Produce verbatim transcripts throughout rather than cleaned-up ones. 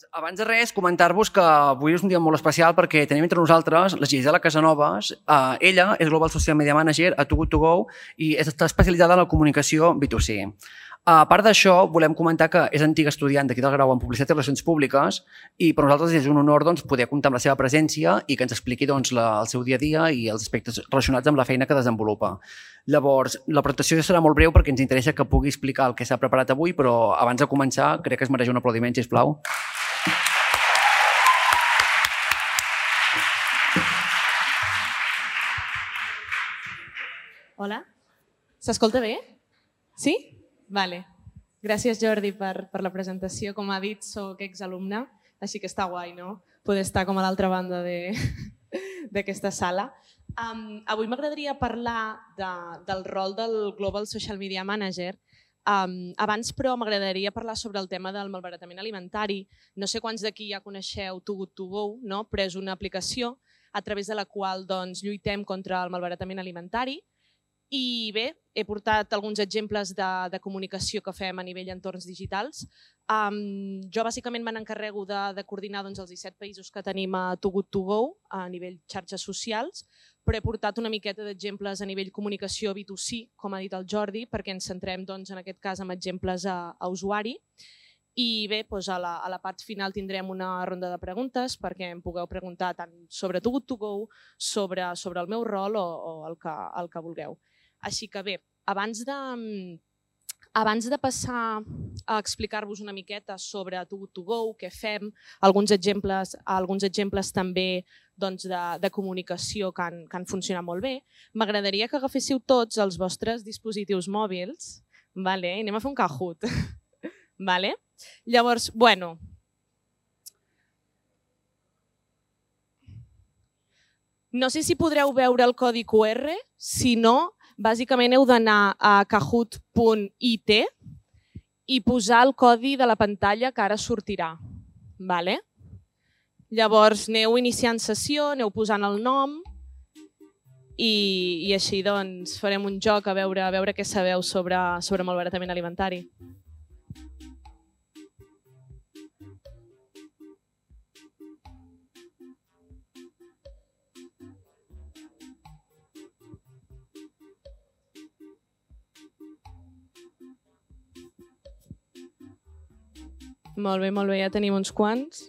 Abans de res, comentar-vos que avui és un dia molt especial perquè tenim entre nosaltres la Gisela Casanovas. Uh, ella és Global Social Media Manager a Too Good To Go i està especialitzada en la comunicació B dos C. A part d'això, volem comentar que és antiga estudiant d'aquí del grau en Publicitat i Relacions Públiques i per nosaltres és un honor doncs, poder comptar amb la seva presència i que ens expliqui doncs, la, el seu dia a dia i els aspectes relacionats amb la feina que desenvolupa. Llavors, la presentació serà molt breu perquè ens interessa que pugui explicar el que s'ha preparat avui, però abans de començar crec que es mereix un aplaudiment, sisplau. Hola, s'escolta bé? Sí? Vale. Gràcies, Jordi, per, per la presentació. Com ha dit, soc exalumna, així que està guai, no? Poder estar com a l'altra banda d'aquesta sala. Um, avui m'agradaria parlar de, del rol del Global Social Media Manager. Um, abans, però, m'agradaria parlar sobre el tema del malbaratament alimentari. No sé quants d'aquí ja coneixeu Too Good To Go, no? Però és una aplicació a través de la qual doncs, lluitem contra el malbaratament alimentari. I bé, he portat alguns exemples de, de comunicació que fem a nivell entorns digitals. Um, jo bàsicament me n'encarrego de, de coordinar doncs, els disset països que tenim a Too Good To Go a nivell xarxes socials, però he portat una miqueta d'exemples a nivell comunicació B dos C, com ha dit el Jordi, perquè ens centrem doncs, en aquest cas en exemples a, a usuari. I bé, doncs a, la, a la part final tindrem una ronda de preguntes perquè em pugueu preguntar tant sobre Too Good To Go, sobre, sobre el meu rol o, o el, que, el que vulgueu. Així que bé, abans de, abans de passar a explicar-vos una miqueta sobre Too Good To Go, què fem, alguns exemples, alguns exemples també doncs, de, de comunicació que han, que han funcionat molt bé, m'agradaria que agaféssiu tots els vostres dispositius mòbils, vale? Anem a fer un Kahoot. Vale? Llavors, bueno, no sé si podreu veure el codi Q R, si no, bàsicament heu d'anar a kahoot punt I T i posar el codi de la pantalla que ara sortirà. Vale? Llavors aneu iniciant sessió, aneu posant el nom i, i així doncs, farem un joc a veure, a veure què sabeu sobre, sobre malbaratament alimentari. Molt bé, molt bé, ja tenim uns quants.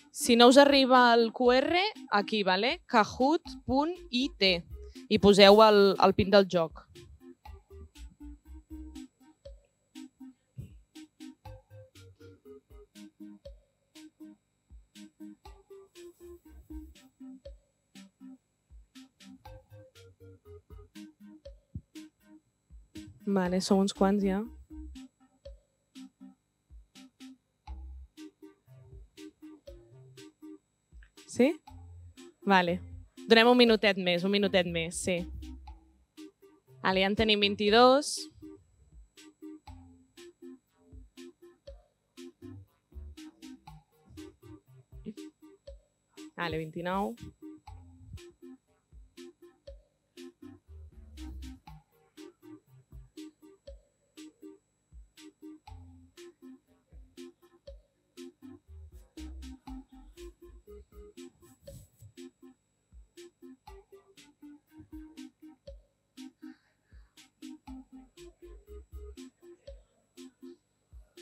Si no us arriba el Q R, aquí, vale? kahoot punt I T i poseu el, el pin del joc. Vale, som uns quants ja. Sí? Vale. Donem un minutet més, un minutet més, sí. Vale, ja en tenim vint-i-dos. Vale, vint-i-nou.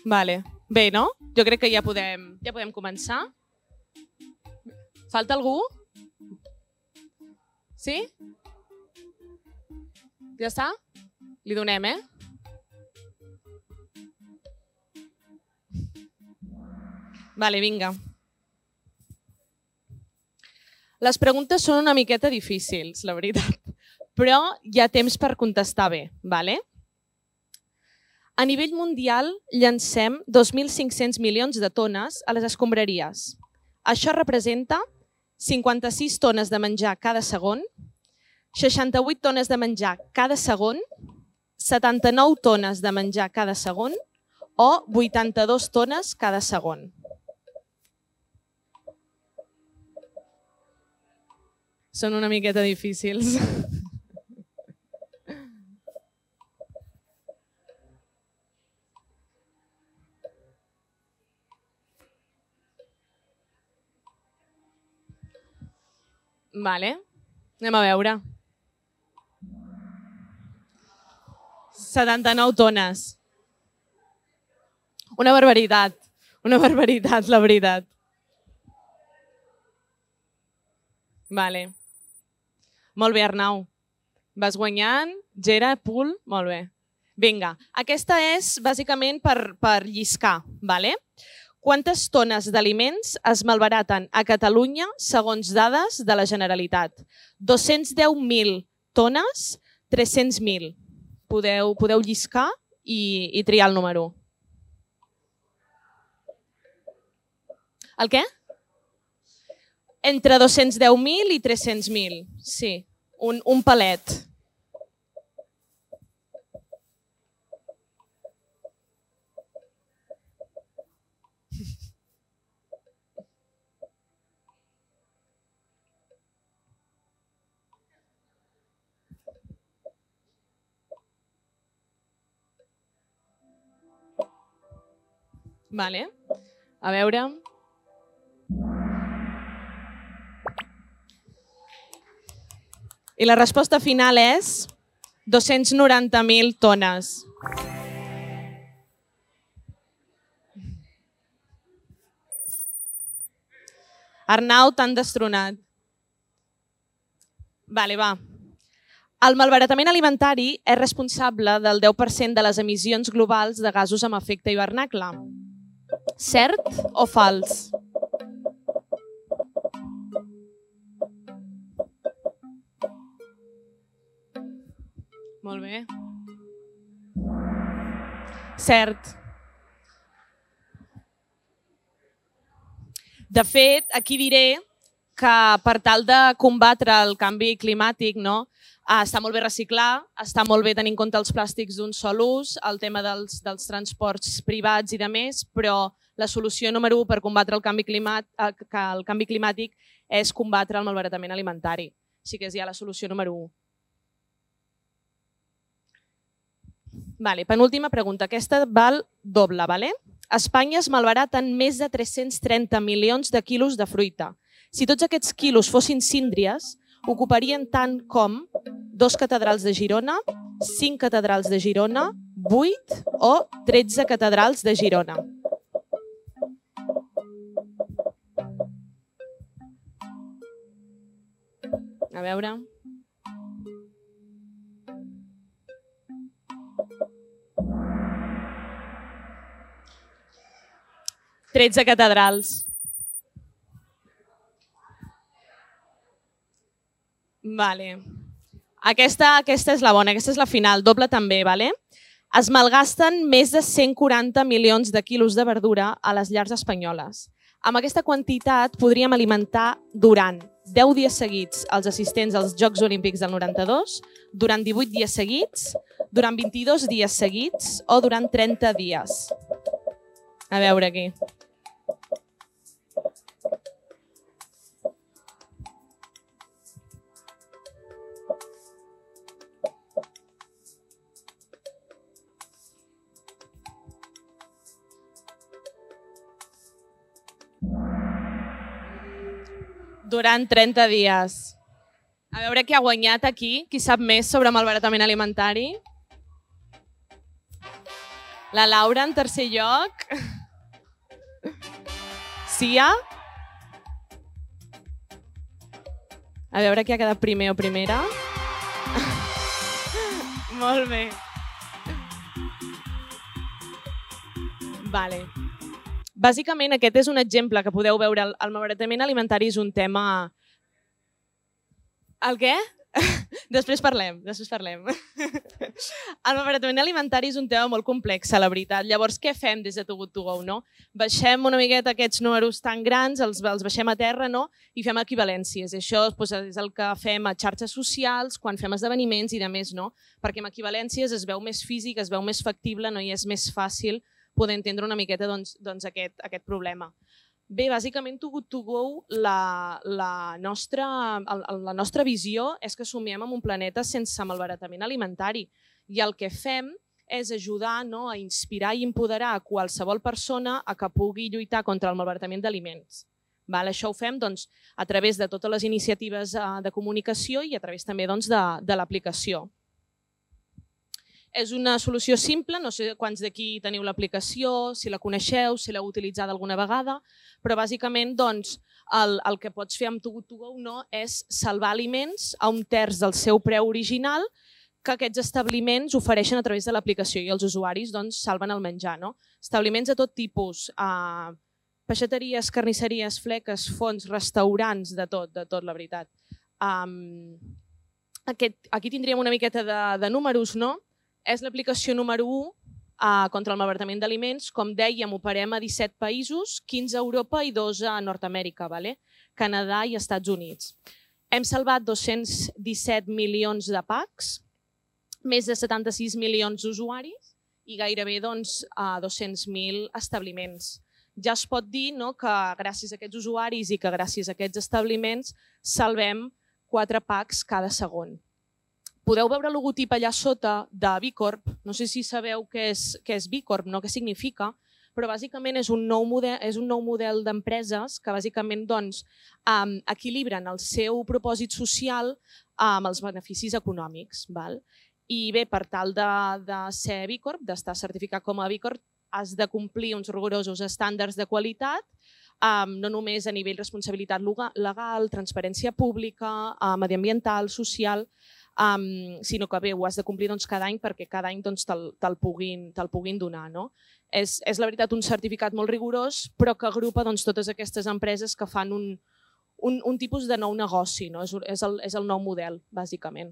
Vale. Bé, no? Jo crec que ja podem, ja podem començar. Falta algú? Sí? Ja està? Li donem, eh? Vale, vinga. Les preguntes són una miqueta difícils, la veritat, però hi ha temps per contestar bé, vale? A nivell mundial llancem dos mil cinc-cents milions de tones a les escombraries. Això representa cinquanta-sis tones de menjar cada segon, seixanta-vuit tones de menjar cada segon, setanta-nou tones de menjar cada segon o vuitanta-dues tones cada segon. són una miqueta difícils. Vale, anem a veure. setanta-nou tones. Una barbaritat, una barbaritat, la veritat. Vale. Molt bé, Arnau. Vas guanyant. Gera, Pul, molt bé. Vinga, aquesta és bàsicament per, per lliscar. Vale? Quantes tones d'aliments es malbaraten a Catalunya segons dades de la Generalitat? dos-cents deu mil tones, tres-cents mil. Podeu, podeu lliscar i, i triar el número. El què? Entre dos-cents deu mil i tres-cents mil, sí. Un, un palet. Vale. A veure... I la resposta final és dos-cents noranta mil tones. Arnau, t'han destronat. Vale, va. El malbaratament alimentari és responsable del deu per cent de les emissions globals de gasos amb efecte hivernacle. Cert o fals? Molt bé. Cert. De fet, aquí diré que per tal de combatre el canvi climàtic, no, està molt bé reciclar, està molt bé tenir en compte els plàstics d'un sol ús, el tema dels, dels transports privats i de més, però la solució número u per combatre el canvi, climat, el canvi climàtic és combatre el malbaratament alimentari. Així que és ja la solució número u. Vale, penúltima pregunta. Aquesta val doble. Vale? A Espanya es malbaraten més de tres-cents trenta milions de quilos de fruita. Si tots aquests quilos fossin síndries, ocuparien tant com dos catedrals de Girona, cinc catedrals de Girona, vuit o tretze catedrals de Girona. A veure... tretze catedrals. Vale. Aquesta, aquesta és la bona, aquesta és la final, doble també. Vale? Es malgasten més de cent quaranta milions de quilos de verdura a les llars espanyoles. Amb aquesta quantitat podríem alimentar durant deu dies seguits els assistents als Jocs Olímpics del noranta-dos, durant divuit dies seguits, durant vint-i-dos dies seguits o durant trenta dies. A veure aquí. Durant trenta dies. A veure qui ha guanyat aquí, qui sap més sobre malbaratament alimentari. La Laura en tercer lloc. Sia. A veure qui ha quedat primer o primera. Molt bé. Vale. Bàsicament, aquest és un exemple que podeu veure. El malbaratament alimentari és un tema... El què? Després parlem, després parlem. El malbaratament alimentari és un tema molt complex, la veritat. Llavors, què fem des de Too Good To Go? No? Baixem una miqueta aquests números tan grans, els, els baixem a terra, no? I fem equivalències. Això doncs, és el que fem a xarxes socials, quan fem esdeveniments i de més, no? Perquè amb equivalències es veu més físic, es veu més factible, no? I és més fàcil poder entendre una miqueta doncs, doncs aquest, aquest problema. Bé, bàsicament, Too Good To Go, la, la, nostra, la nostra visió és que somiem en un planeta sense malbaratament alimentari i el que fem és ajudar, no, a inspirar i empoderar a qualsevol persona a que pugui lluitar contra el malbaratament d'aliments. Val? Això ho fem doncs, a través de totes les iniciatives de comunicació i a través també doncs, de, de l'aplicació. És una solució simple, no sé quants d'aquí teniu l'aplicació, si la coneixeu, si l'heu utilitzat alguna vegada, però bàsicament doncs, el, el que pots fer amb Too Good To Go no, és salvar aliments a un terç del seu preu original que aquests establiments ofereixen a través de l'aplicació i els usuaris doncs, salven el menjar. No? Establiments de tot tipus, eh, peixateries, carnisseries, fleques, fonts, restaurants, de tot, de tot, la veritat. Um, aquest, aquí tindríem una miqueta de, de números, no? És l'aplicació número u uh, contra el malbaratament d'aliments. Com dèiem, operem a disset països, quinze a Europa i dos a Nord-Amèrica, vale? Canadà i Estats Units. Hem salvat dos-cents disset milions de packs, més de setanta-sis milions d'usuaris i gairebé doncs, a dos-cents mil establiments. Ja es pot dir no, que gràcies a aquests usuaris i que gràcies a aquests establiments salvem quatre packs cada segon. Podeu veure el logotip allà sota de B Corp. No sé si sabeu què és, què és B Corp, no? Què significa, però bàsicament és un nou model, és un nou model d'empreses que bàsicament doncs, um, equilibren el seu propòsit social amb els beneficis econòmics. Val? I bé, per tal de, de ser B Corp, d'estar certificat com a B Corp, has de complir uns rigorosos estàndards de qualitat, um, no només a nivell responsabilitat legal, transparència pública, uh, mediambiental, social, Um, sinó que bé, ho has de complir doncs, cada any perquè cada any doncs, te'l te puguin, te puguin donar. No? És, és la veritat un certificat molt rigorós, però que agrupa doncs, totes aquestes empreses que fan un, un, un tipus de nou negoci. No? És, és, el, és el nou model, bàsicament.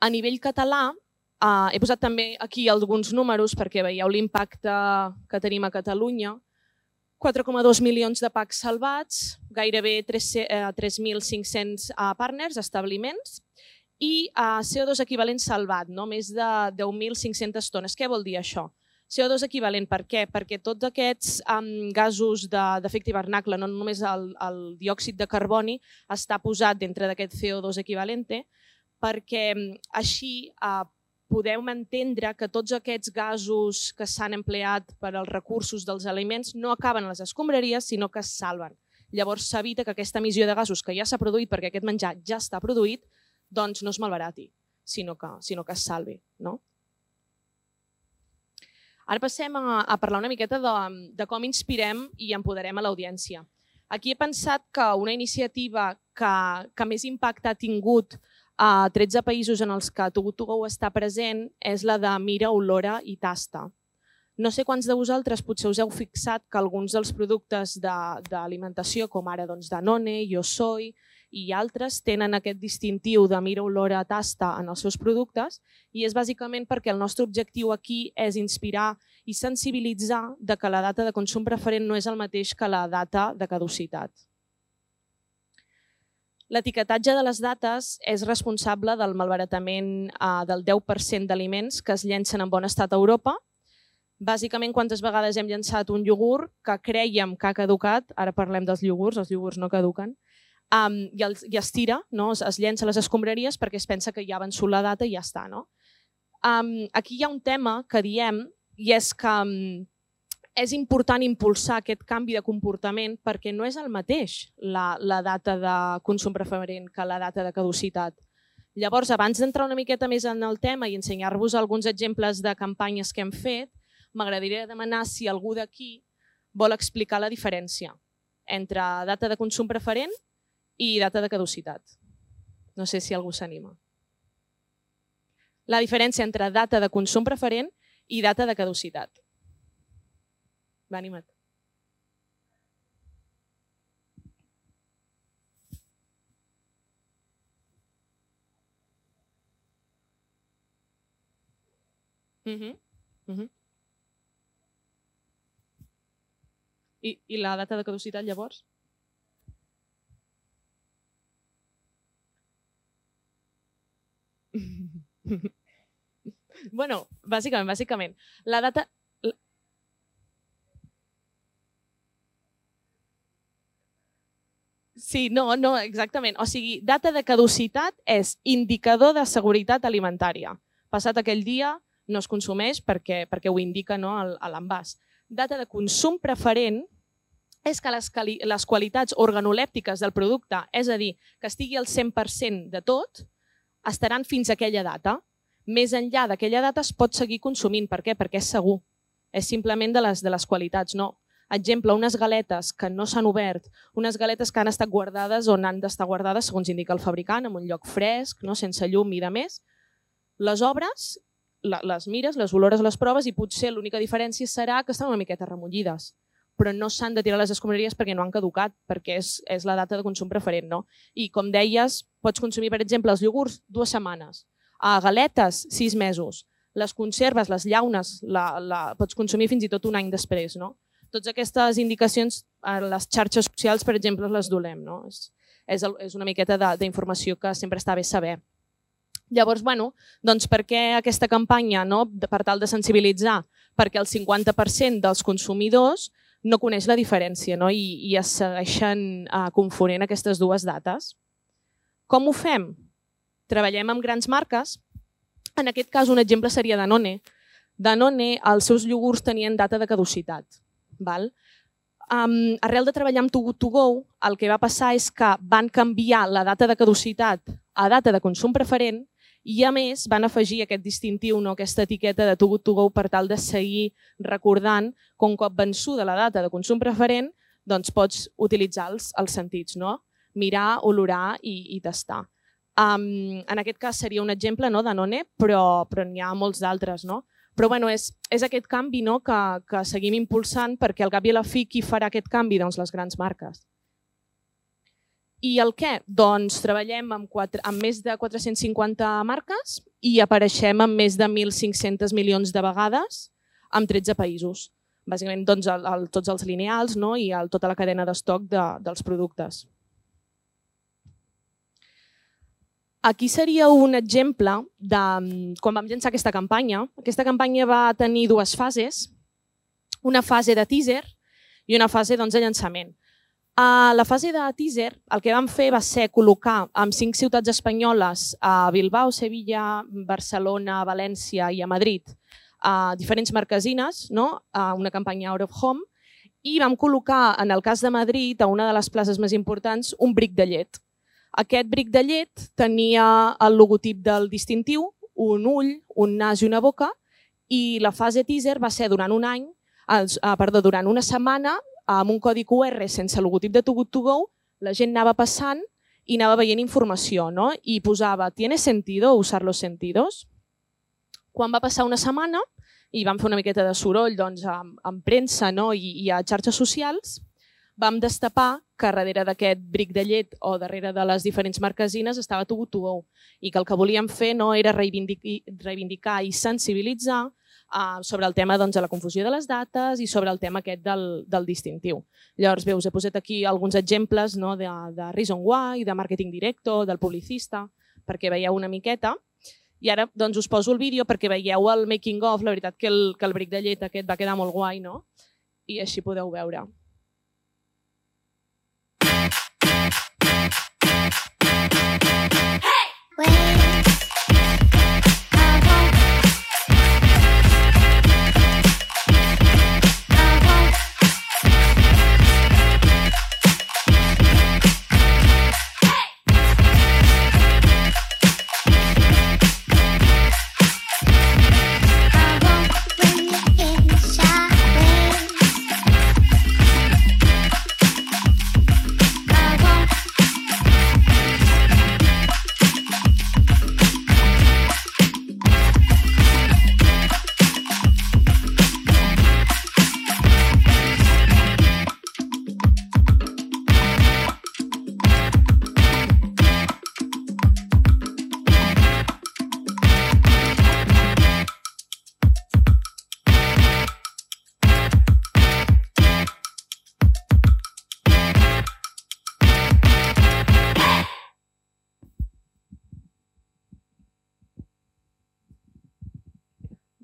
A nivell català, uh, he posat també aquí alguns números perquè veieu l'impacte que tenim a Catalunya. quatre coma dos milions de packs salvats, gairebé tres mil cinc-cents partners, establiments, i C O dos equivalent salvat, no? Més de deu mil cinc-centes tones. Què vol dir això? C O dos equivalent per què? Perquè tots aquests um, gasos d'efecte hivernacle, no només el, el diòxid de carboni, està posat dintre d'aquest C O dos equivalente, perquè així uh, podeu entendre que tots aquests gasos que s'han empleat per als recursos dels aliments no acaben a les escombraries, sinó que es salven. Llavors s'evita que aquesta emissió de gasos que ja s'ha produït perquè aquest menjar ja està produït, doncs no es malbarati, sinó que, sinó que es salvi. No? Ara passem a, a parlar una miqueta de, de com inspirem i empoderem a l'audiència. Aquí he pensat que una iniciativa que, que més impacte ha tingut a tretze països en els que Too Good To Go està present és la de mira, olora i tasta. No sé quants de vosaltres potser us heu fixat que alguns dels productes d'alimentació, com ara doncs, Danone, Yo Soy i altres, tenen aquest distintiu de mira, olora, tasta en els seus productes i és bàsicament perquè el nostre objectiu aquí és inspirar i sensibilitzar de que la data de consum preferent no és el mateix que la data de caducitat. L'etiquetatge de les dates és responsable del malbaratament del deu per cent d'aliments que es llencen en bon estat a Europa. Bàsicament, quantes vegades hem llançat un iogurt que crèiem que ha caducat, ara parlem dels iogurts, els iogurts no caduquen, i es tira, es llença a les escombraries perquè es pensa que ja ha vençut la data i ja està. Aquí hi ha un tema que diem i és que és important impulsar aquest canvi de comportament perquè no és el mateix la, la data de consum preferent que la data de caducitat. Llavors, abans d'entrar una miqueta més en el tema i ensenyar-vos alguns exemples de campanyes que hem fet, m'agradaria demanar si algú d'aquí vol explicar la diferència entre data de consum preferent i data de caducitat. No sé si algú s'anima. La diferència entre data de consum preferent i data de caducitat. Va, anima't. Uh-huh. Uh-huh. I, I la data de caducitat, llavors? Bueno, bàsicament, bàsicament. La data... Sí, no, no, exactament. O sigui, data de caducitat és indicador de seguretat alimentària. Passat aquell dia no es consumeix perquè, perquè ho indica, no, a l'envàs. Data de consum preferent és que les, les qualitats organolèptiques del producte, és a dir, que estigui al cent per cent de tot, estaran fins a aquella data. Més enllà d'aquella data es pot seguir consumint. Per què? Perquè és segur. És simplement de les, de les qualitats, no. Exemple, unes galetes que no s'han obert, unes galetes que han estat guardades on han d'estar guardades, segons indica el fabricant, en un lloc fresc, no, sense llum i de més, les obres, les mires, les olores, les proves i potser l'única diferència serà que estan una miqueta remollides, però no s'han de tirar les escombraries perquè no han caducat, perquè és, és la data de consum preferent. No? I com deies, pots consumir, per exemple, els iogurts dues setmanes, a galetes sis mesos, les conserves, les llaunes, la, la, pots consumir fins i tot un any després. No? Totes aquestes indicacions a les xarxes socials, per exemple, les dolem. No? És, és, és una miqueta d'informació que sempre està bé saber. Llavors, bueno, doncs per què aquesta campanya? No? Per tal de sensibilitzar, perquè el cinquanta per cent dels consumidors no coneix la diferència, no? I, i es segueixen uh, confonent aquestes dues dates. Com ho fem? Treballem amb grans marques. En aquest cas, un exemple seria Danone. Danone, els seus iogurts tenien data de caducitat. Val? Um, arrel de treballar amb Too Good To Go, el que va passar és que van canviar la data de caducitat a data de consum preferent i, a més, van afegir aquest distintiu, no? Aquesta etiqueta de Too Good To Go per tal de seguir recordant que un cop vençuda la data de consum preferent doncs pots utilitzar els, els sentits, no? Mirar, olorar i, i tastar. Um, en aquest cas seria un exemple, no, Danone, però, però n'hi ha molts d'altres. No? Però bueno, és, és aquest canvi, no, que, que seguim impulsant perquè al cap i a la fi qui farà aquest canvi? Doncs les grans marques. I el què? Doncs treballem amb, quatre, amb més de quatre-cents cinquanta marques i apareixem amb més de mil cinc-cents milions de vegades en tretze països. Bàsicament doncs, el, el, tots els lineals, no? I el, tota la cadena d'estoc de, dels productes. Aquí seria un exemple de quan vam llançar aquesta campanya. Aquesta campanya va tenir dues fases, una fase de teaser i una fase doncs, de llançament. A la fase de teaser el que vam fer va ser col·locar en cinc ciutats espanyoles, a Bilbao, Sevilla, Barcelona, València i a Madrid, a diferents marquesines, no? A una campanya out of home, i vam col·locar, en el cas de Madrid, a una de les places més importants, un bric de llet. Aquest bric de llet tenia el logotip del distintiu, un ull, un nas i una boca, i la fase teaser va ser durant un any, eh, perdó, durant una setmana, amb un codi Q R sense logotip de Too Good To Go, la gent anava passant i anava veient informació, no? I posava, ¿tiene sentido usar los sentidos? Quan va passar una setmana i vam fer una miqueta de soroll doncs, amb, amb premsa, no? I, i a xarxes socials, vam destapar que darrere d'aquest bric de llet o darrere de les diferents marquesines estava Too Good To Go i que el que volíem fer no era reivindicar, reivindicar i sensibilitzar uh, sobre el tema doncs, de la confusió de les dates i sobre el tema aquest del, del distintiu. Llavors, bé, us he posat aquí alguns exemples, no, de, de Reason Why, de Marketing Directo, del Publicista, perquè veieu una miqueta. I ara doncs, us poso el vídeo perquè veieu el making of. La veritat que el, que el bric de llet aquest va quedar molt guai, no? I així podeu veure.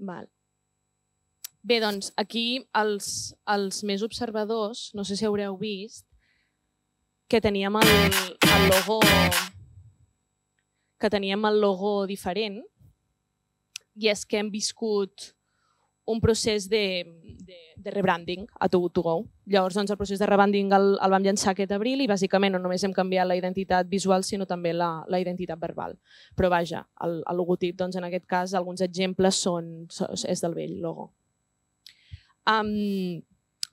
Val. Bé, doncs aquí els, els més observadors, no sé si haureu vist, que teníem el, el logo que teníem el logo diferent, i és que hem viscut un procés de, de, de rebranding a Too Good To Go. Llavors, doncs, el procés de rebranding el, el vam llançar aquest abril i bàsicament no només hem canviat la identitat visual, sinó també la, la identitat verbal. Però vaja, el, el logotip, doncs, en aquest cas, alguns exemples són, és del vell logo. Um,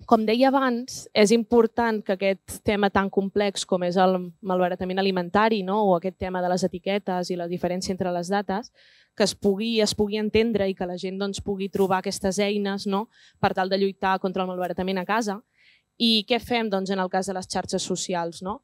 com deia abans, és important que aquest tema tan complex com és el malbaratament alimentari, no? O aquest tema de les etiquetes i la diferència entre les dates, que es pugui, es pugui entendre i que la gent doncs, pugui trobar aquestes eines, no? Per tal de lluitar contra el malbaratament a casa. I què fem doncs, en el cas de les xarxes socials? No?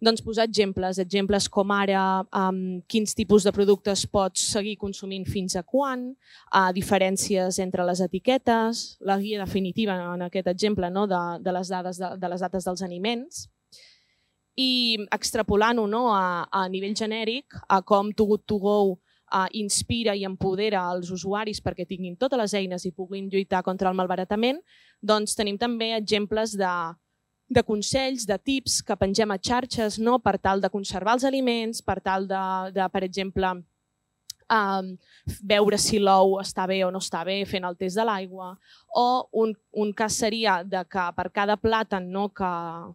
Doncs posar exemples, exemples com ara um, quins tipus de productes pots seguir consumint fins a quan, uh, diferències entre les etiquetes, la guia definitiva en aquest exemple, no? de, de, les dades, de, de les dates dels aliments, i extrapolant-ho, no? a, a nivell genèric a com Too Good To Go Uh, inspira i empodera els usuaris perquè tinguin totes les eines i puguin lluitar contra el malbaratament, doncs tenim també exemples de, de consells, de tips que pengem a xarxes, no? Per tal de conservar els aliments, per tal de, de per exemple, um, veure si l'ou està bé o no està bé fent el test de l'aigua, o un, un cas seria de que per cada plàtan, no? que,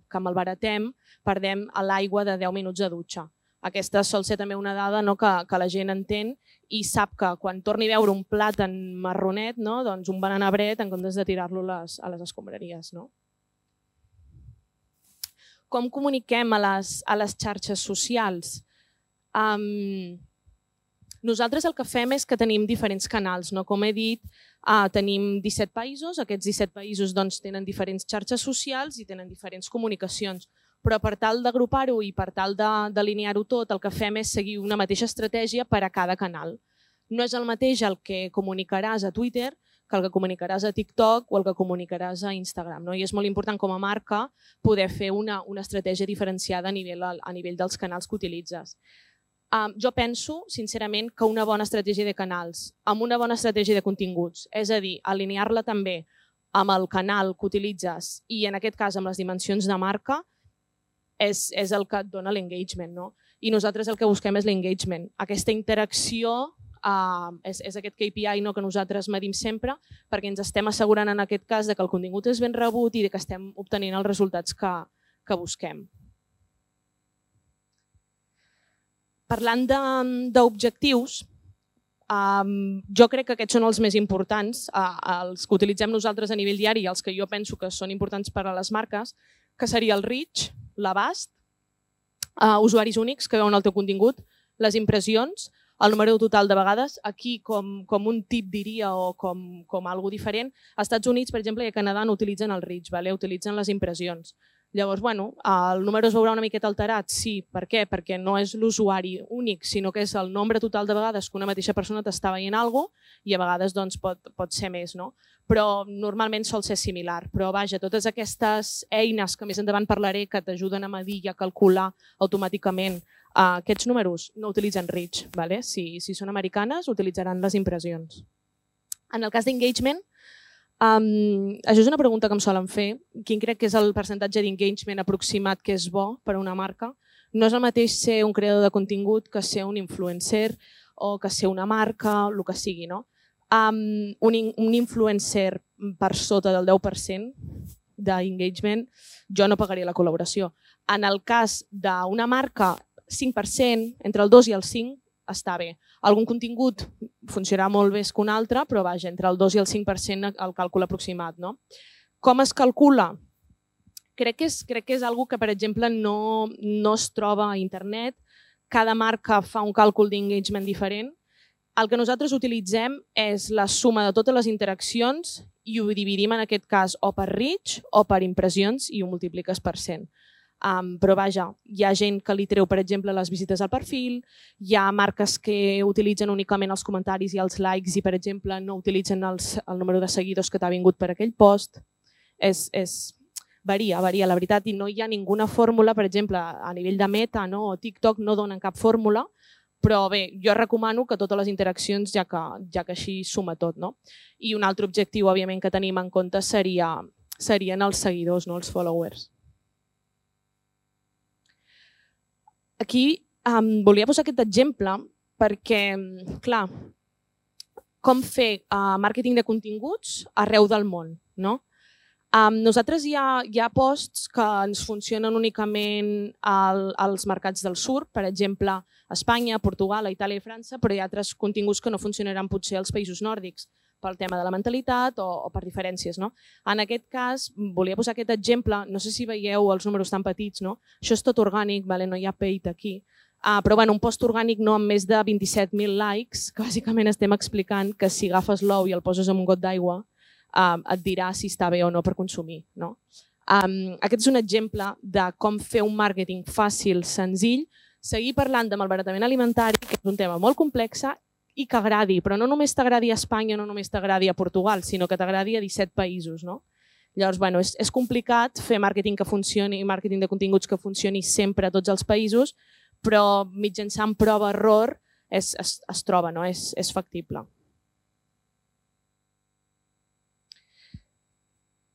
que malbaratem perdem l'aigua de deu minuts de dutxa. Aquesta sol ser també una dada, no? que, que la gent entén i sap que quan torni a veure un plàtan marronet, no? doncs un banana bread en comptes de tirar-lo les, a les escombraries. No? Com comuniquem a les, a les xarxes socials? Um, nosaltres el que fem és que tenim diferents canals. No? Com he dit, uh, tenim disset països. Aquests disset països doncs, tenen diferents xarxes socials i tenen diferents comunicacions. Però per tal d'agrupar-ho i per tal d'alinear-ho tot, el que fem és seguir una mateixa estratègia per a cada canal. No és el mateix el que comunicaràs a Twitter que el que comunicaràs a TikTok o el que comunicaràs a Instagram. No? I és molt important com a marca poder fer una, una estratègia diferenciada a nivell, a nivell dels canals que utilitzes. Um, jo penso, sincerament, que una bona estratègia de canals, amb una bona estratègia de continguts, és a dir, alinear-la també amb el canal que utilitzes i en aquest cas amb les dimensions de marca, És, és el que et dona l'engagement. No? I nosaltres el que busquem és l'engagement. Aquesta interacció uh, és, és aquest K P I no, que nosaltres medim sempre perquè ens estem assegurant en aquest cas de que el contingut és ben rebut i de que estem obtenint els resultats que, que busquem. Parlant d'objectius, um, jo crec que aquests són els més importants, uh, els que utilitzem nosaltres a nivell diari i els que jo penso que són importants per a les marques, que seria el reach, l'abast, uh, usuaris únics que veuen el teu contingut, les impressions, el número total de vegades. Aquí, com, com un tip diria o com, com algo diferent, als Estats Units, per exemple, i a Canadà no utilitzen el reach, vale? Utilitzen les impressions. Llavors, bueno, el número es veurà una miqueta alterat, sí. Per què? Perquè no és l'usuari únic, sinó que és el nombre total de vegades que una mateixa persona t'està veient alguna cosa i a vegades doncs, pot, pot ser més, no? Però normalment sol ser similar. Però vaja, totes aquestes eines que més endavant parlaré que t'ajuden a medir i a calcular automàticament uh, aquests números no utilitzen reach. Vale? Si, si són americanes, utilitzaran les impressions. En el cas d'engagement, Um, això és una pregunta que em solen fer. Quin crec que és el percentatge d'engagement aproximat que és bo per a una marca? No és el mateix ser un creador de contingut que ser un influencer o que ser una marca, el que sigui. No? Um, un, un influencer per sota del deu per cent d'engagement, jo no pagaria la col·laboració. En el cas d'una marca, cinc per cent, entre el dos i el cinc, està bé. Algun contingut funcionarà molt més que un altre, però vaja, entre el dos i el cinc per cent el càlcul aproximat. No? Com es calcula? Crec que és, crec que és una cosa que, per exemple, no, no es troba a internet. Cada marca fa un càlcul d'engagement diferent. El que nosaltres utilitzem és la suma de totes les interaccions i ho dividim en aquest cas o per reach o per impressions i ho multipliques per cent. Um, però vaja, hi ha gent que li treu, per exemple, les visites al perfil, hi ha marques que utilitzen únicament els comentaris i els likes i, per exemple, no utilitzen els, el número de seguidors que t'ha vingut per aquell post. És, és, varia, varia, la veritat, i no hi ha ninguna fórmula, per exemple, a nivell de Meta no, o TikTok no donen cap fórmula, però bé, jo recomano que totes les interaccions, ja que, ja que així suma tot. No? I un altre objectiu, òbviament, que tenim en compte seria, serien els seguidors, no, els followers. aquí um, volia posar aquest exemple perquè, clar, com fer uh, màrqueting de continguts arreu del món, no? Um, nosaltres hi ha, hi ha posts que ens funcionen únicament al, als mercats del sud, per exemple, a Espanya, Portugal, a Itàlia i França, però hi ha altres continguts que no funcionaran potser als països nòrdics pel tema de la mentalitat o, o per diferències. No? En aquest cas, volia posar aquest exemple, no sé si veieu els números tan petits, no? Això és tot orgànic, vale? No hi ha paid aquí, uh, però bueno, un post orgànic no amb més de vint-i-set mil likes, que bàsicament estem explicant que si agafes l'ou i el poses en un got d'aigua, Um, et dirà si està bé o no per consumir. No? Um, aquest és un exemple de com fer un màrqueting fàcil, senzill, seguir parlant de malbaratament alimentari, que és un tema molt complex i que agradi, però no només t'agradi a Espanya, no només t'agradi a Portugal, sinó que t'agradi a disset països. No? Llavors, bueno, és, és complicat fer màrqueting que funcioni, màrqueting de continguts que funcioni sempre a tots els països, però mitjançant prova-error es, es, es troba, no? és, és factible.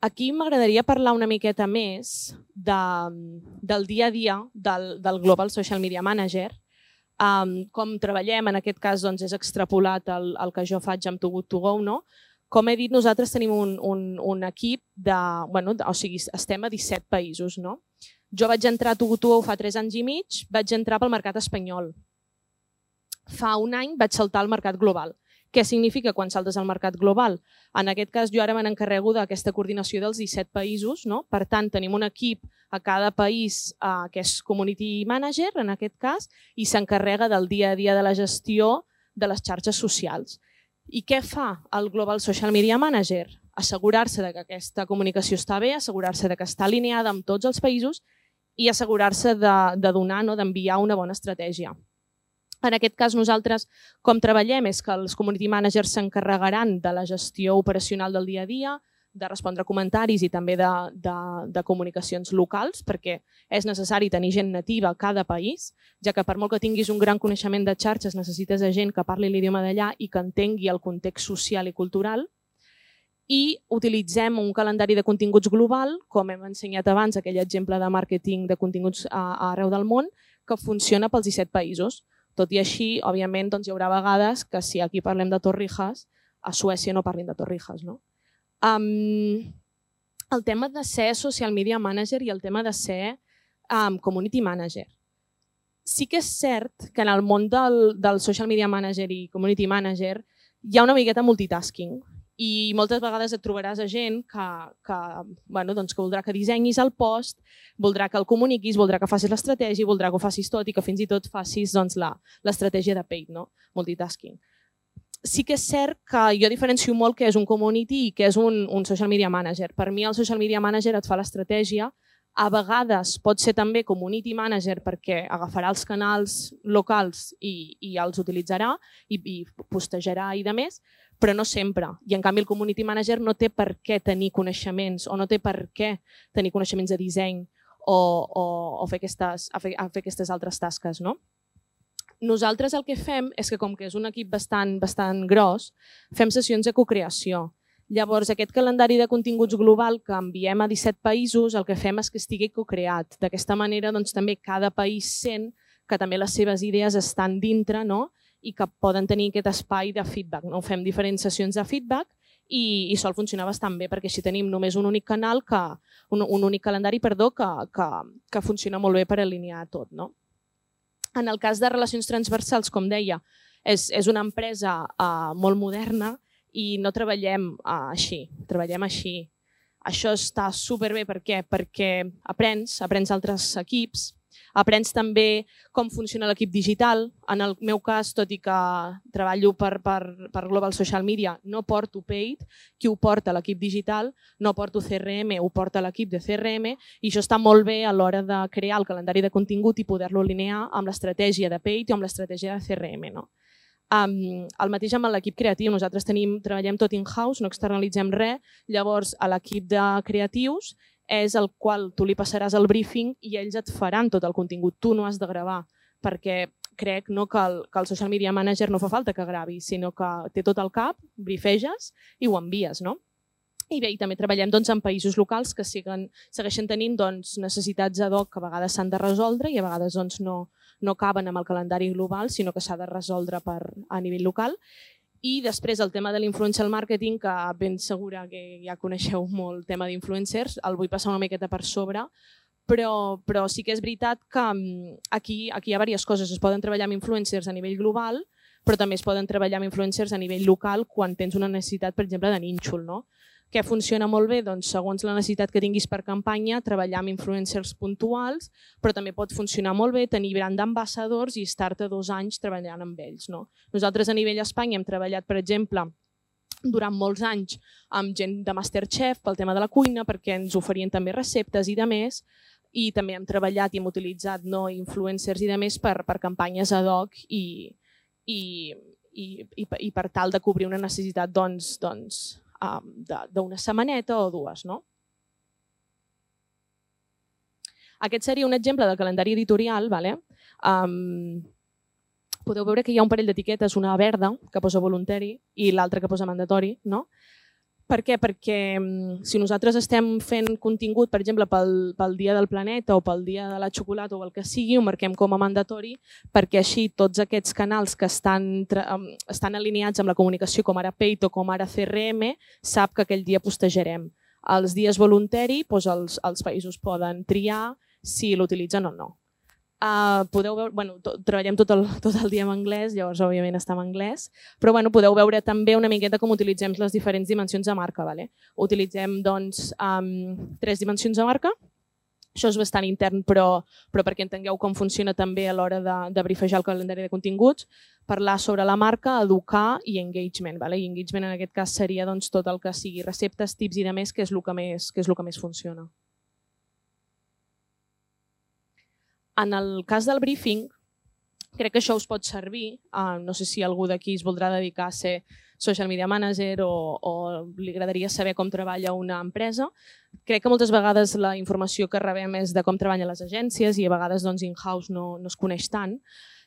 Aquí m'agradaria parlar una miqueta més de, del dia a dia del, del Global Social Media Manager. Um, com treballem, en aquest cas doncs, és extrapolat el, el que jo faig amb Too Good To Go. No? Com he dit, nosaltres tenim un, un, un equip de, bueno, de, o sigui, estem a disset països. No? Jo vaig entrar a Too Good To Go fa tres anys i mig, vaig entrar pel mercat espanyol. Fa un any vaig saltar al mercat global. Què significa quan saltes al mercat global? En aquest cas, jo ara me n'encarrego d'aquesta coordinació dels disset països. No? Per tant, tenim un equip a cada país eh, que és Community Manager, en aquest cas, i s'encarrega del dia a dia de la gestió de les xarxes socials. I què fa el Global Social Media Manager? Assegurar-se que aquesta comunicació està bé, assegurar-se que està alineada amb tots els països i assegurar-se de, de donar, no? d'enviar una bona estratègia. En aquest cas, nosaltres, com treballem, és que els community managers s'encarregaran de la gestió operacional del dia a dia, de respondre comentaris i també de, de, de comunicacions locals, perquè és necessari tenir gent nativa a cada país, ja que per molt que tinguis un gran coneixement de xarxes, necessites gent que parli l'idioma d'allà i que entengui el context social i cultural. I utilitzem un calendari de continguts global, com hem ensenyat abans, aquell exemple de màrqueting de continguts arreu del món, que funciona pels disset països. Tot i així, òbviament, doncs, hi haurà vegades que si aquí parlem de Torrijas, a Suècia no parlin de Torrijas. No? Um, el tema de ser social media manager i el tema de ser um, community manager. Sí que és cert que en el món del, del social media manager i community manager hi ha una miqueta multitasking i moltes vegades et trobaràs a gent que, que, bueno, doncs que voldrà que dissenyis el post, voldrà que el comuniquis, voldrà que facis l'estratègia, voldrà que ho facis tot i que fins i tot facis doncs, l'estratègia de paid, no? Multitasking. Sí que és cert que jo diferencio molt què és un community i què és un, un social media manager. Per mi el social media manager et fa l'estratègia, a vegades pot ser també community manager perquè agafarà els canals locals i, i els utilitzarà i, i postejarà i de més, però no sempre. I en canvi el community manager no té per què tenir coneixements o no té per què tenir coneixements de disseny o, o, o fer, aquestes, a fer, a fer aquestes altres tasques. No? Nosaltres el que fem és que com que és un equip bastant, bastant gros, fem sessions de cocreació. Llavors, aquest calendari de continguts global que enviem a disset països, el que fem és que estigui cocreat. D'aquesta manera, doncs, també cada país sent que també les seves idees estan dintre, no? I que poden tenir aquest espai de feedback. No? Fem diferents sessions de feedback i, i sol funcionar bastant bé perquè així tenim només un únic canal, que, un, un únic calendari perdó, que, que, que funciona molt bé per alinear tot. No? En el cas de relacions transversals, com deia, és, és una empresa uh, molt moderna i no treballem uh, així, treballem així. Això està superbé, per què? Perquè aprens, aprens altres equips, aprens també com funciona l'equip digital. En el meu cas, tot i que treballo per, per, per Global Social Media, no porto paid, qui ho porta l'equip digital, no porto C R M, ho porta l'equip de C R M i això està molt bé a l'hora de crear el calendari de contingut i poder-lo alinear amb l'estratègia de paid i amb l'estratègia de C R M. No? Um, el mateix amb l'equip creatiu, nosaltres tenim, treballem tot in-house, no externalitzem res, llavors a l'equip de creatius és el qual tu li passaràs el briefing i ells et faran tot el contingut, tu no has de gravar, perquè crec no, que, el, que el social media manager no fa falta que gravi, sinó que té tot al cap, briefeges i ho envies. No? I bé, i també treballem doncs, en països locals que siguen, segueixen tenint doncs, necessitats ad hoc que a vegades s'han de resoldre i a vegades doncs, no, no caben amb el calendari global, sinó que s'ha de resoldre a nivell local. I després el tema de l'influencer marketing, que ben segura que ja coneixeu molt el tema d'influencers, el vull passar una miqueta per sobre, però, però sí que és veritat que aquí, aquí hi ha diverses coses. Es poden treballar amb influencers a nivell global, però també es poden treballar amb influencers a nivell local quan tens una necessitat, per exemple, de nínxol, no? Què funciona molt bé? Doncs segons la necessitat que tinguis per campanya, treballar amb influencers puntuals, però també pot funcionar molt bé tenir brand d'ambassadors i estar-te dos anys treballant amb ells. No? Nosaltres a nivell Espanya hem treballat, per exemple, durant molts anys amb gent de Masterchef pel tema de la cuina, perquè ens oferien també receptes i de més, i també hem treballat i hem utilitzat no, influencers i de més per, per campanyes ad hoc i, i, i, i, i per tal de cobrir una necessitat doncs, doncs, d'una setmaneta o dues. No? Aquest seria un exemple del calendari editorial. Vale? Um, podeu veure que hi ha un parell d'etiquetes, una verda que posa voluntari i l'altra que posa mandatori. No? Per què? Perquè si nosaltres estem fent contingut, per exemple, pel, pel Dia del Planeta o pel Dia de la Xocolata o el que sigui, ho marquem com a mandatori perquè així tots aquests canals que estan, estan alineats amb la comunicació com ara Paid o com ara C R M sap que aquell dia postejarem. Els dies voluntari, doncs els, els països poden triar si l'utilitzen o no. Uh, podeu veure, bueno, to, treballem tot el, tot el dia en anglès, llavors òbviament està en anglès, però bueno, podeu veure també una miqueta com utilitzem les diferents dimensions de marca. Vale? Utilitzem doncs, um, tres dimensions de marca, això és bastant intern, però, però perquè entengueu com funciona també a l'hora de, de brifejar el calendari de continguts, parlar sobre la marca, educar i engagement. Vale? I engagement en aquest cas seria doncs, tot el que sigui receptes, tips i de més, que és el que més, que és el que més funciona. En el cas del briefing, crec que això us pot servir. Uh, no sé si algú d'aquí es voldrà dedicar a ser social media manager o, o li agradaria saber com treballa una empresa. Crec que moltes vegades la informació que rebem és de com treballen les agències i a vegades doncs, in-house no, no es coneix tant.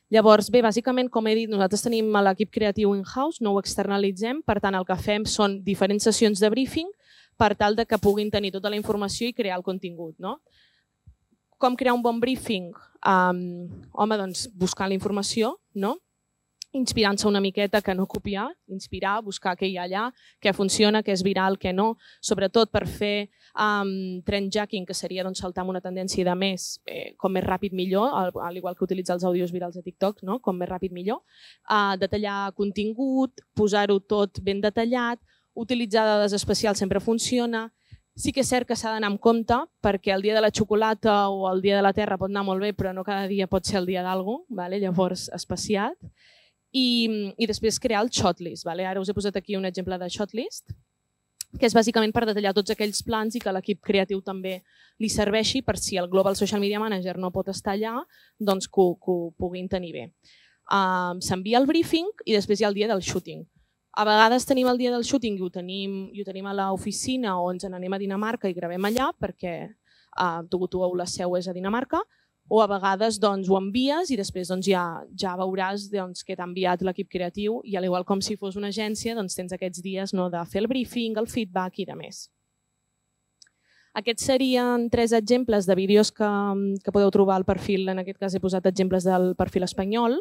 Llavors, bé, bàsicament, com he dit, nosaltres tenim l'equip creatiu in-house, no ho externalitzem, per tant, el que fem són diferents sessions de briefing per tal de que puguin tenir tota la informació i crear el contingut. No? Com crear un bon briefing? Um, home, doncs, buscar la informació, no? Inspirant-se una miqueta que no copiar, inspirar, buscar què hi ha allà, què funciona, què és viral, què no, sobretot per fer um, trendjacking, que seria doncs, saltar amb una tendència de més, eh, com més ràpid millor, al, al igual que utilitzar els àudios virals de TikTok, no? Com més ràpid millor, uh, detallar contingut, posar-ho tot ben detallat, utilitzar dades especials sempre funciona. Sí que és cert que s'ha d'anar amb compte perquè el dia de la xocolata o el dia de la terra pot anar molt bé, però no cada dia pot ser el dia d'algú, vale? Llavors espaciat. I, i després crear el shotlist. Vale? Ara us he posat aquí un exemple de shotlist, que és bàsicament per detallar tots aquells plans i que l'equip creatiu també li serveixi per si el Global Social Media Manager no pot estar allà, doncs que ho, que ho puguin tenir bé. Uh, S'envia el briefing i després hi ha el dia del shooting. A vegades tenim el dia del shooting i ho tenim, i ho tenim a l'oficina o ens n'anem a Dinamarca i gravem allà perquè uh, Tugutugo la seu és a Dinamarca, o a vegades doncs, ho envies i després doncs, ja, ja veuràs doncs, que t'ha enviat l'equip creatiu i al igual com si fos una agència doncs, tens aquests dies no, de fer el briefing, el feedback i de més. Aquests serien tres exemples de vídeos que, que podeu trobar al perfil, en aquest cas he posat exemples del perfil espanyol.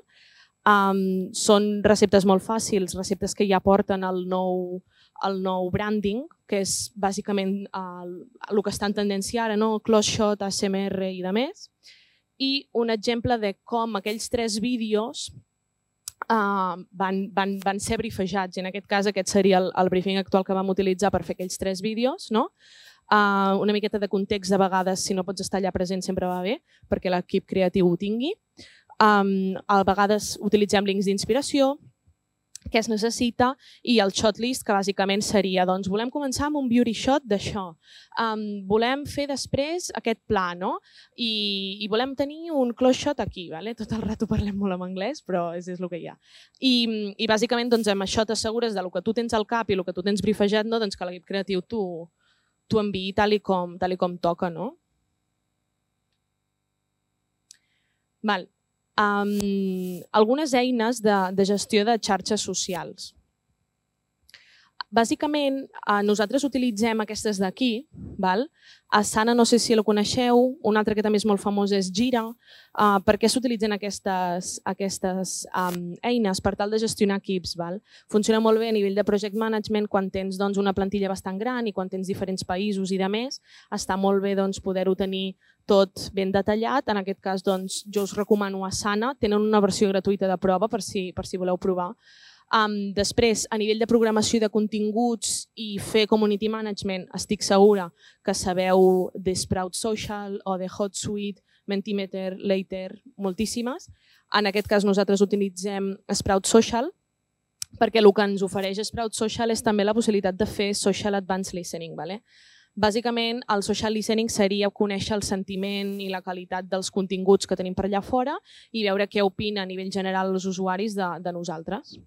Um, són receptes molt fàcils, receptes que ja porten el nou, el nou branding, que és bàsicament el, el que està en tendència ara, no? Close shot, A S M R i de més. I un exemple de com aquells tres vídeos uh, van, van, van ser brifejats. I en aquest cas aquest seria el, el briefing actual que vam utilitzar per fer aquells tres vídeos. No? Uh, una miqueta de context de vegades, si no pots estar allà present sempre va bé, perquè l'equip creatiu ho tingui. Um, a vegades utilitzem links d'inspiració, què es necessita, i el shotlist, que bàsicament seria, doncs, volem començar amb un beauty shot d'això, um, volem fer després aquest pla, no? I, i volem tenir un close shot aquí, vale? Tot el rato parlem molt en anglès, però és, és el que hi ha. I, i bàsicament doncs, amb això t'assegures del que tu tens al cap i el que tu tens brifejat, no? Doncs que l'equip creatiu t'ho enviï tal i com, tal i com toca, no? Val. Um, algunes eines de, de gestió de xarxes socials. Bàsicament, nosaltres utilitzem aquestes d'aquí. Asana, no sé si la coneixeu, un altre que també és molt famós és Jira. Per què s'utilitzen aquestes eines? Per tal de gestionar equips. Funciona molt bé a nivell de project management quan tens una plantilla bastant gran i quan tens diferents països i de més. Està molt bé poder-ho tenir tot ben detallat. En aquest cas, jo us recomano Asana. Tenen una versió gratuïta de prova per si voleu provar. Després, a nivell de programació de continguts i fer community management, estic segura que sabeu de Sprout Social o de HotSuite, Mentimeter, Later, moltíssimes. En aquest cas nosaltres utilitzem Sprout Social perquè el que ens ofereix Sprout Social és també la possibilitat de fer Social Advanced Listening. Bàsicament, el social listening seria conèixer el sentiment i la qualitat dels continguts que tenim per allà fora i veure què opina a nivell general els usuaris de nosaltres.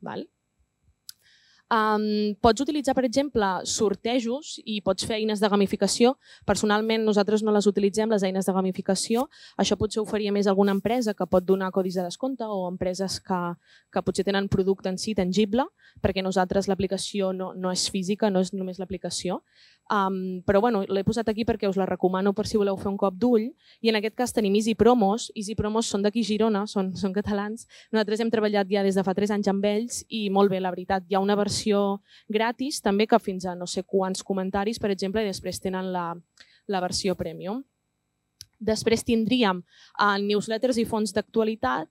Pots utilitzar, per exemple, sortejos i pots fer eines de gamificació. Personalment, nosaltres no les utilitzem, les eines de gamificació. Això potser ho faria més alguna empresa que pot donar codis de descompte o empreses que potser tenen producte en si tangible, perquè nosaltres l'aplicació no és física, no és només l'aplicació. Però l'he posat aquí perquè us la recomano per si voleu fer un cop d'ull. I en aquest cas tenim Easy Promos. Easy Promos són d'aquí Girona, són catalans. Nosaltres hem treballat ja des de fa tres anys amb ells i molt bé, la veritat. Hi ha una versió gratis també que fins a no sé quants comentaris, per exemple, i després tenen la versió premium. Després tindríem newsletters i fons d'actualitat.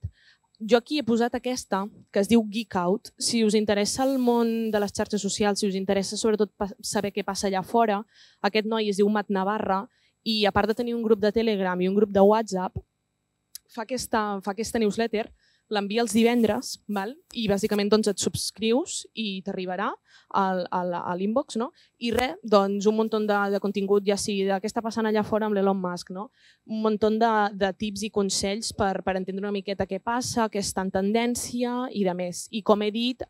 Jo aquí he posat aquesta, que es diu Geek Out. Si us interessa el món de les xarxes socials, si us interessa sobretot saber què passa allà fora, aquest noi es diu Mat Navarra i a part de tenir un grup de Telegram i un grup de WhatsApp, fa aquesta newsletter, l'envia els divendres i bàsicament et subscrius i t'arribarà a l'inbox. I res, doncs un munt de contingut, ja sigui de què està passant allà fora amb l'Elon Musk, un munt de tips i consells per entendre una miqueta què passa, què està en tendència i de més. I com he dit,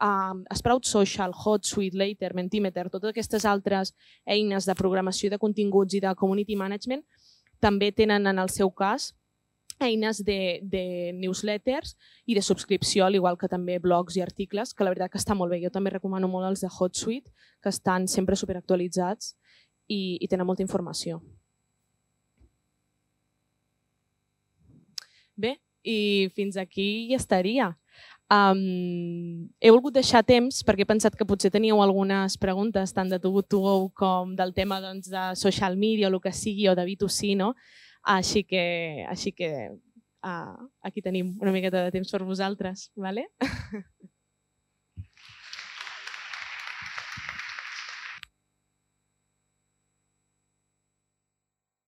Sprout Social, HotSuite, Later, Mentimeter, totes aquestes altres eines de programació de continguts i de community management també tenen en el seu cas eines de newsletters i de subscripció, al igual que també blogs i articles, que la veritat que està molt bé. Jo també recomano molt els de HotSuite, que estan sempre superactualitzats i tenen molta informació. Bé, i fins aquí ja estaria. He volgut deixar temps perquè he pensat que potser teníeu algunes preguntes tant de Too Good To Go com del tema de social media o el que sigui o de B dos C, no? Així que aquí tenim una miqueta de temps per vosaltres.